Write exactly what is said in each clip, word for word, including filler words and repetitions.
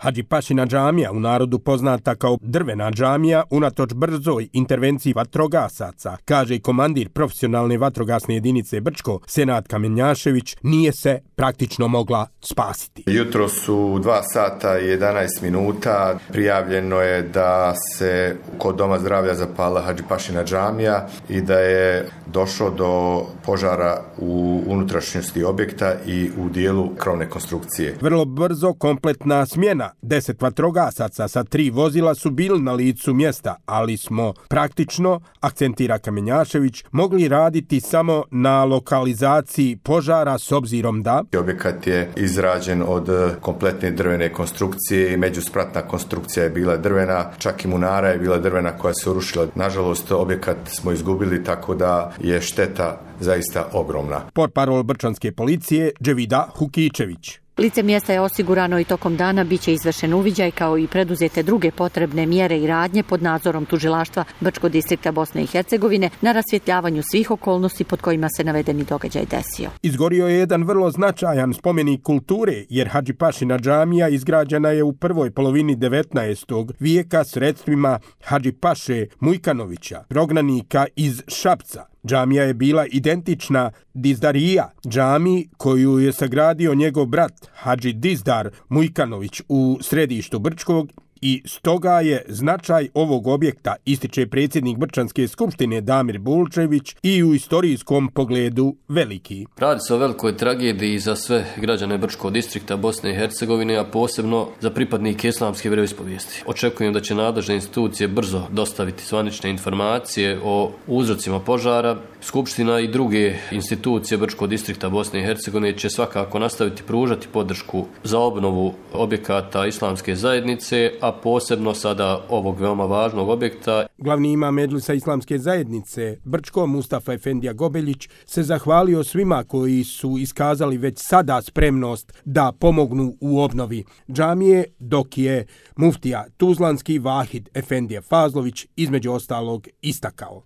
Hadžipašina džamija, u narodu poznata kao drvena džamija, unatoč brzoj intervenciji vatrogasaca, kaže komandir profesionalne vatrogasne jedinice Brčko, Senad Kamenjašević, nije se praktično mogla spasiti. Jutro su dva sata i jedanaest minuta. Prijavljeno je da se kod Doma zdravlja zapala Hadžipašina džamija i da je došlo do požara u unutrašnjosti objekta i u dijelu krovne konstrukcije. Vrlo brzo kompletna smjena. Deset vatrogasaca sa tri vozila su bili na licu mjesta, ali smo praktično, akcentira Kamenjašević, mogli raditi samo na lokalizaciji požara s obzirom da... Objekat je izrađen od kompletne drvene konstrukcije i međuspratna konstrukcija je bila drvena, čak i munara je bila drvena koja se urušila. Nažalost, objekat smo izgubili, tako da je šteta zaista ogromna. Portparol brčanske policije Dževida Hukičević. Lice mjesta je osigurano i tokom dana biće izvršen uviđaj kao i preduzete druge potrebne mjere i radnje pod nadzorom tužilaštva Brčkog distrikta Bosne i Hercegovine na rasvjetljavanju svih okolnosti pod kojima se navedeni događaj desio. Izgorio je jedan vrlo značajan spomenik kulture, jer Hadžipašina džamija izgrađena je u prvoj polovini devetnaestog vijeka sredstvima Hadžipaše Mujkanovića, prognanika iz Šapca. Džamija je bila identična Dizdarija, džamiji koju je sagradio njegov brat Hadži Dizdar Mujkanović u središtu Brčkog i stoga je značaj ovog objekta, ističe predsjednik Brčanske skupštine Damir Bulčević, i u istorijskom pogledu veliki. Radi se o velikoj tragediji za sve građane Brčkog distrikta Bosne i Hercegovine, a posebno za pripadnike islamske vjeroispovijesti. Očekujem da će nadležne institucije brzo dostaviti zvanične informacije o uzrocima požara. Skupština i druge institucije Brčkog distrikta Bosne i Hercegovine će svakako nastaviti pružati podršku za obnovu objekata islamske zajednice, a posebno sada ovog veoma važnog objekta. Glavni imam Medžlisa islamske zajednice Brčko Mustafa Efendija Gobeljić se zahvalio svima koji su iskazali već sada spremnost da pomognu u obnovi džamije, dok je muftija Tuzlanski Vahid Efendija Fazlović između ostalog istakao.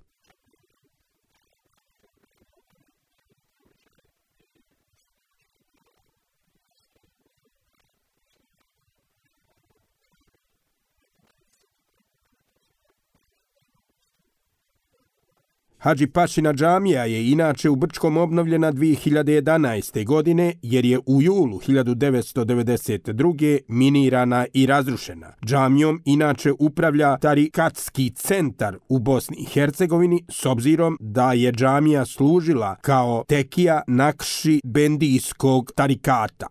Hadžipašina džamija je inače u Brčkom obnovljena dvije hiljade jedanaeste. godine, jer je u julu hiljadu devetsto devedeset druge. minirana i razrušena. Džamijom inače upravlja Tarikatski centar u Bosni i Hercegovini, s obzirom da je džamija služila kao tekija Nakši Bendijskog tarikata.